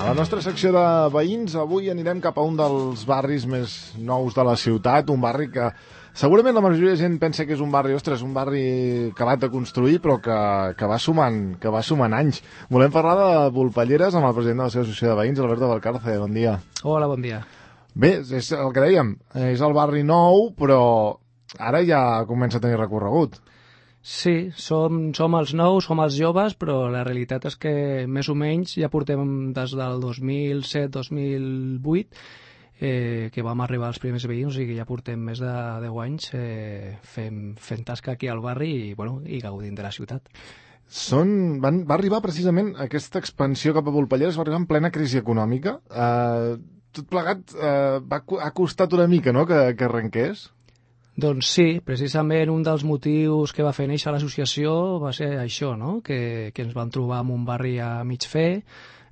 A la nostra secció de veïns avui anirem cap a un dels barris més nous de la ciutat, un barri que segurament la majoria de gent pensa que és un barri, ostres, un barri acabat de construir però que va sumant anys. Volem parlar de Volpelleres amb el president de la seva associació de veïns, Alberto Valcarce. Bon dia. Hola, bon dia. Bé, és el que dèiem, és el barri nou però ara ja comença a tenir recorregut. Sí, som els nous, som els joves, però la realitat és que més o menys ja portem des del 2007-2008 que vam arribar als primers veïns, o sigui que ja portem més de 10 anys fent tasca aquí al barri i gaudint de la ciutat. Va arribar precisament aquesta expansió cap a Volpelleres, va arribar en plena crisi econòmica. Tot plegat ha costat una mica, no?, que arrenqués. Doncs sí, precisament un dels motius que va fer néixer l'associació va ser això, no?, que ens vam trobar en un barri a mig fer,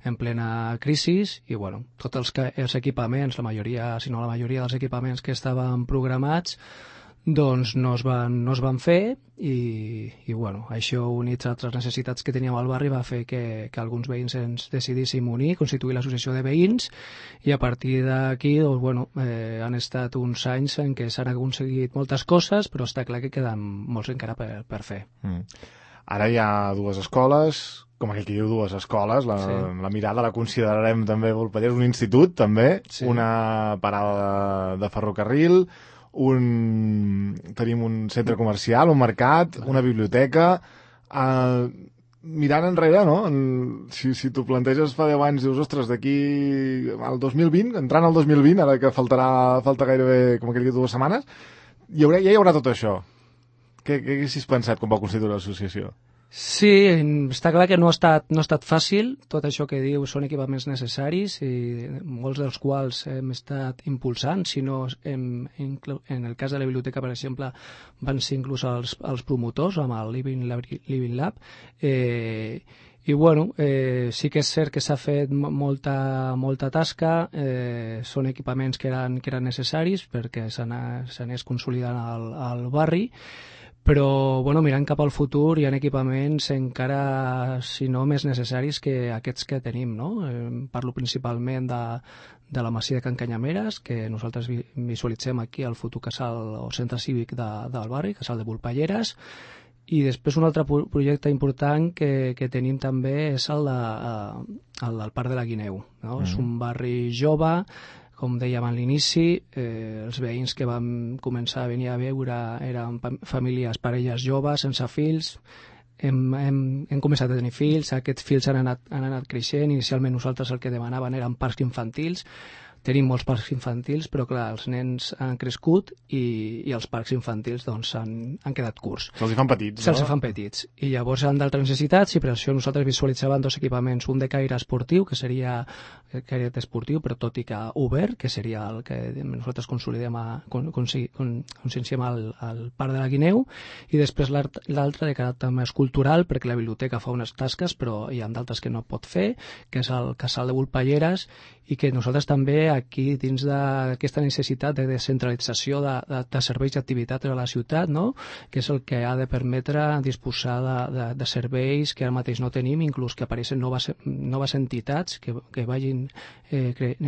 en plena crisi, i tots els equipaments, la majoria dels equipaments que estaven programats, doncs no es van fer i això units a altres necessitats que teníem al barri va fer que alguns veïns ens decidíssim unir, constituir l'associació de veïns, i a partir d'aquí han estat uns anys en què s'han aconseguit moltes coses, però està clar que queden molts encara per fer. Ara hi ha dues escoles, com aquell que diu dues escoles, la mirada la considerarem també Volpelleres, un institut també, sí. Una parada de ferrocarril, tenim un centre comercial, un mercat, una biblioteca. Mirant enrere, no? Si t'ho planteges fa 10 anys, dius, ostres, d'aquí al 2020, entrant al 2020, ara que falta gairebé, com aquell que 2 setmanes, ja hi haurà tot això. Què haguessis pensat quan va constituir l'associació? Sí, està clar que no ha estat fàcil. Tot això que diu són equipaments necessaris i molts dels quals hem estat impulsant, si no en el cas de la biblioteca, per exemple, van ser inclús els promotors amb el Living Lab. Sí que és cert que s'ha fet molta tasca, són equipaments que eren necessaris perquè s'anés consolidant al barri, però mirant cap al futur hi ha equipaments encara, si no més necessaris que aquests que tenim, no? Parlo principalment de la masia de Can Canyameres, que nosaltres visualitzem aquí al futur casal o centre cívic del barri, casal de Volpelleres, i després un altre projecte important que tenim també és el del Parc de la Guineu, no? És un barri jove, com dèiem a l'inici, els veïns que vam començar a venir a veure eren famílies, parelles joves, sense fills. Hem començat a tenir fills, aquests fills han anat creixent. Inicialment nosaltres el que demanaven eren parcs infantils. Tenim molts parcs infantils, però clar, els nens han crescut i els parcs infantils han quedat curts. Se'ls fan petits, no? Se'ls fan petits. I llavors han d'altres necessitats, i per això nosaltres visualitzàvem 2 equipaments, un de caire esportiu, que seria caire esportiu, però tot i que obert, que seria el que nosaltres conscienciem al Parc de la Guineu, i després l'altre de caràcter més cultural, perquè la biblioteca fa unes tasques, però hi ha d'altres que no pot fer, que és el casal de Volpelleres, i que nosaltres també aquí, dins d'aquesta necessitat de descentralització de serveis i activitats a la ciutat, no?, que és el que ha de permetre disposar de serveis que ara mateix no tenim, inclús que apareixen noves entitats que vagin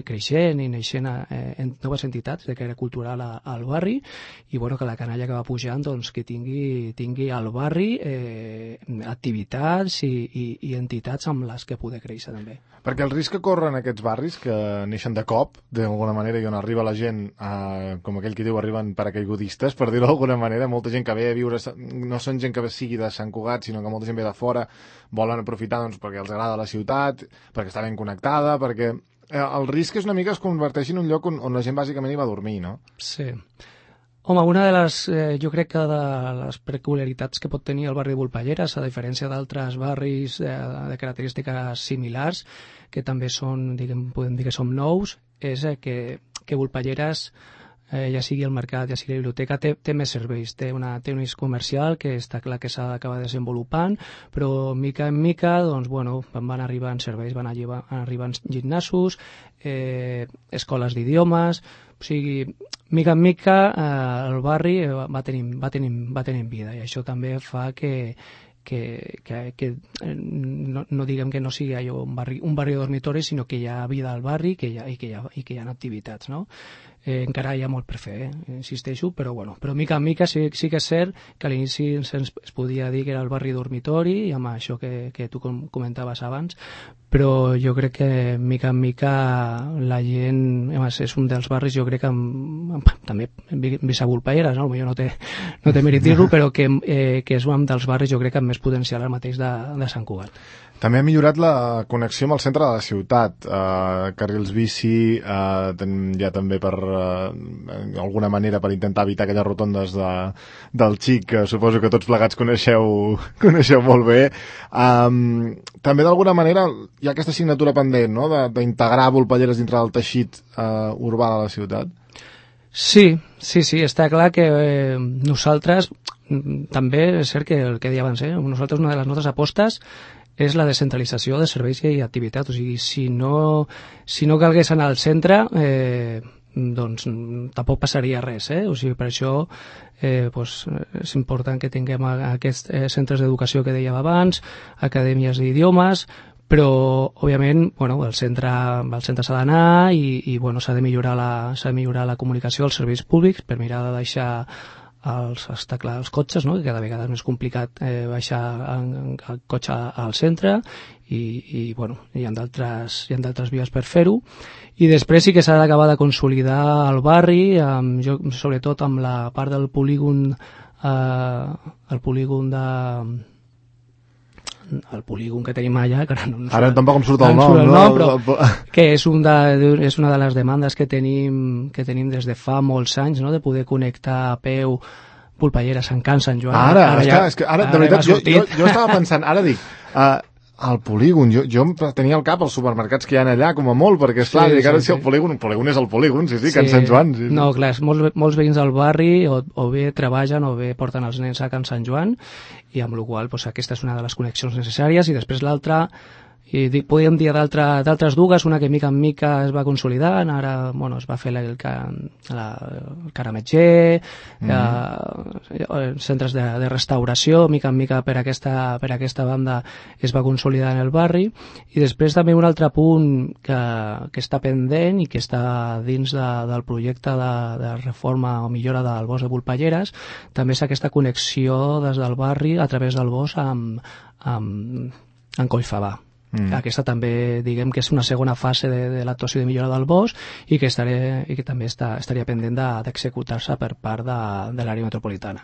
creixent i neixent en noves entitats de caire cultural al barri, i que la canalla que va pujant que tingui al barri activitats i entitats amb les que poder créixer també. Perquè el risc que corren aquests barris, que neixen de cop, d'alguna manera, i on arriba la gent, com aquell que diu, arriben paracaigudistes, per dir-ho d'alguna manera, molta gent que ve a viure, no són gent que sigui de Sant Cugat, sinó que molta gent ve de fora, volen aprofitar perquè els agrada la ciutat, perquè està ben connectada, perquè el risc és una mica que es converteixi en un lloc on la gent bàsicament hi va a dormir, no? Sí. Home, una de les, jo crec que de les peculiaritats que pot tenir el barri de Volpelleres, a diferència d'altres barris de característiques similars, que també són, podem dir que som nous, és que Volpelleres, ja sigui el mercat, ja sigui la biblioteca, té més serveis, té un eix comercial que està clar que s'ha d'acabar desenvolupant, però mica en mica van arribant serveis, van arribant gimnasos, escoles d'idiomes, o sigui, mica en mica el barri va tenint vida, i això també fa que no diguem que no sigui allò un barri de dormitori, sinó que hi ha vida al barri i que hi ha activitats, no? Encara hi ha molt per fer, insisteixo, però mica en mica sí que és cert que a l'inici es podia dir que era el barri dormitori, i amb això que tu comentaves abans, però jo crec que mica en mica la gent, és un dels barris, jo crec que també vist a Volpelleres, no? Potser no té mèrit dir-ho, però que és un dels barris jo crec que amb més potencial ara mateix de Sant Cugat. També ha millorat la connexió amb el centre de la ciutat, carrils bici, ja també per alguna manera per intentar evitar aquelles rotondes del Xic, que suposo que tots plegats coneixeu molt bé. També d'alguna manera hi ha aquesta assignatura pendent, no?, d'integrar Volpelleres dintre del teixit urbà de la ciutat. Sí, està clar que nosaltres, també és cert que el que deia abans, nosaltres una de les nostres apostes és la descentralització de serveis i activitat. O sigui, si no calgués anar al centre, doncs tampoc passaria res, O sigui, per això és important que tinguem aquests centres d'educació que dèiem abans, acadèmies d'idiomes, però, òbviament, el centre s'ha d'anar i s'ha de millorar la comunicació als serveis públics per mirar de deixar està clar, els cotxes, no?, que cada vegada és més complicat baixar el cotxe al centre i hi ha d'altres vies per fer-ho, i després sí que s'ha d'acabar de consolidar el barri, sobretot amb la part del polígon el polígon que tenim allà, que ara tampoc em surt el nom, però que és una de les demandes que tenim des de fa molts anys, no?, de poder connectar a peu Volpelleres, Sant Can, Sant Joan. Ara, de veritat, jo estava pensant, ara dic, el polígon, jo tenia al cap els supermercats que hi ha allà, com a molt, perquè esclar, si el polígon és el polígon, sí, Can Sant Joan. Sí. No, clar, molts veïns del barri o bé treballen o bé porten els nens a Can Sant Joan, i amb la qual cosa aquesta és una de les connexions necessàries, i després l'altra, podríem dir d'altres dues, una que mica en mica es va consolidant, ara es va fer el Carametger, centres de restauració, mica en mica per aquesta banda es va consolidar en el barri, i després també un altre punt que està pendent i que està dins del projecte de reforma o millora del bosc de Volpelleres, també és aquesta connexió des del barri a través del bosc amb Collfabà. Aquesta també, diguem que és una segona fase de l'actuació de millora del bosc i que també estaria pendent d'executar-se per part de l'àrea metropolitana.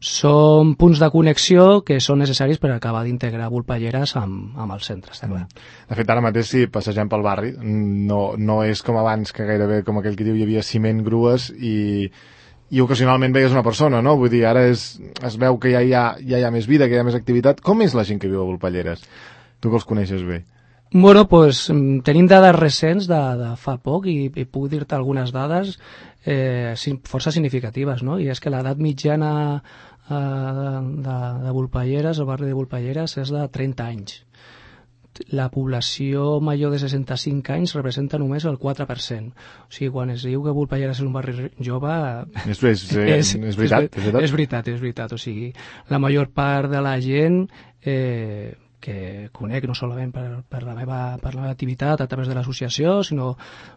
Són punts de connexió que són necessaris per acabar d'integrar Volpelleres amb el centre, està clar. De fet, ara mateix, si passegem pel barri, no és com abans, que gairebé, com aquell que diu, hi havia ciment, grues i ocasionalment veies una persona, no? Vull dir, ara es veu que ja hi ha més vida, que hi ha més activitat. Com és la gent que viu a Volpelleres? Tu que els coneixes bé. Tenim dades recents de fa poc i puc dir-te algunes dades força significatives, no? I és que l'edat mitjana de Volpelleres, el barri de Volpelleres, és de 30 anys. La població major de 65 anys representa només el 4%. O sigui, quan es diu que Volpelleres és un barri jove... És veritat. És veritat. O sigui, la major part de la gent que conec no solament per la meva activitat a través de l'associació, sinó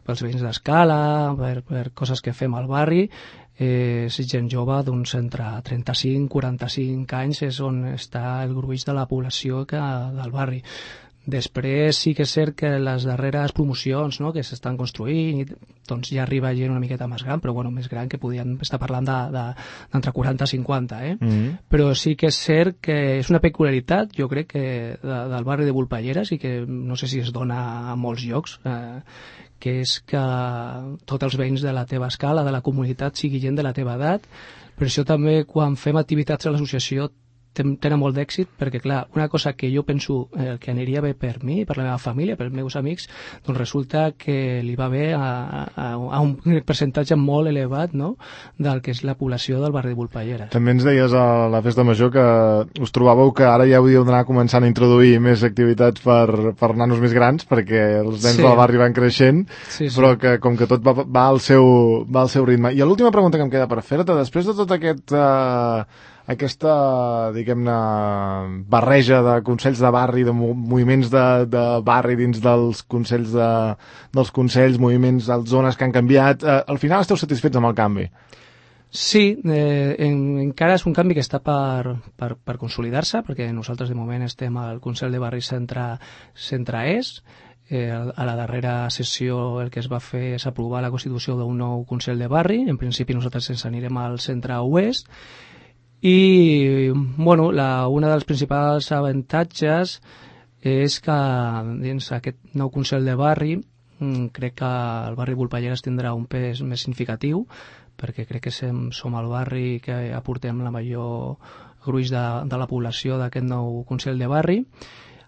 pels veïns d'Escala, per coses que fem al barri, és gent jove d'uns entre 35 i 45 anys, és on està el gruix de la població del barri. Després sí que és cert que les darreres promocions, no?, que s'estan construint, doncs ja arriba gent una miqueta més gran, però més gran, que podien estar parlant d'entre 40 i 50, Però sí que és cert que és una peculiaritat, jo crec, que del barri de Volpelleres, i que no sé si es dona a molts llocs, que és que tots els veïns de la teva escala, de la comunitat, sigui gent de la teva edat. Per això també, quan fem activitats a l'associació, tenen molt d'èxit, perquè clar, una cosa que jo penso que aniria bé per mi, per la meva família, pels meus amics, doncs resulta que li va bé a un percentatge molt elevat, no?, del que és la població del barri de Volpelleres. També ens deies a la festa major que us trobàveu que ara ja hauríeu d'anar començant a introduir més activitats per nanos més grans, perquè els nens del barri van creixent, però que com que tot va al seu ritme. I l'última pregunta que em queda per fer-te, després de tot aquesta, diguem-ne, barreja de consells de barri, de moviments de barri dins dels consells dels consells, moviments de zones que han canviat, al final esteu satisfets amb el canvi? Sí, encara és un canvi que està per consolidar-se, perquè nosaltres de moment estem al Consell de Barri Centre Est. A la darrera sessió el que es va fer és aprovar la constitució d'un nou Consell de Barri. En principi nosaltres ens anirem al Centre Oest. I bueno, una dels principals avantatges és que dins aquest nou Consell de Barri crec que el barri Volpelleres tindrà un pes més significatiu, perquè crec que som el barri que aportem la major gruix de la població d'aquest nou Consell de Barri,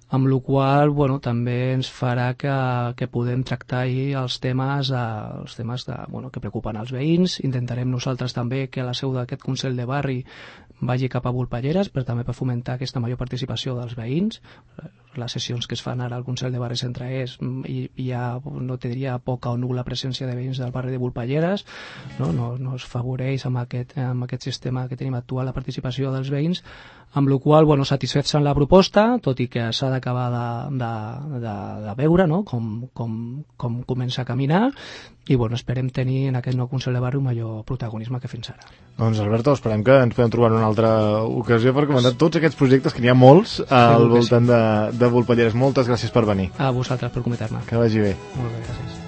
amb la qual bueno, també ens farà que podem tractar els temes que preocupen els veïns. Intentarem nosaltres també que la seu d'aquest Consell de Barri vagi cap a Volpelleres, però també per fomentar aquesta major participació dels veïns. Les sessions que es fan ara al Consell de Barri Centre Est hi ha, no te diria, poca o nul·la presència de veïns del barri de Volpelleres, no es favoreix amb aquest sistema que tenim actual la participació dels veïns, amb la qual bueno, satisfets amb la proposta, tot i que s'ha d'acabar de veure com comença a caminar, i bueno, esperem tenir en aquest nou Consell de Barri un major protagonisme que fins ara. Doncs Alberto, esperem que ens podem trobar en una altra ocasió per comentar tots aquests projectes, que n'hi ha molts al voltant de Volpelleres. Moltes gràcies per venir. A vosaltres per comentar-me. Que vagi bé. Molt bé, gràcies.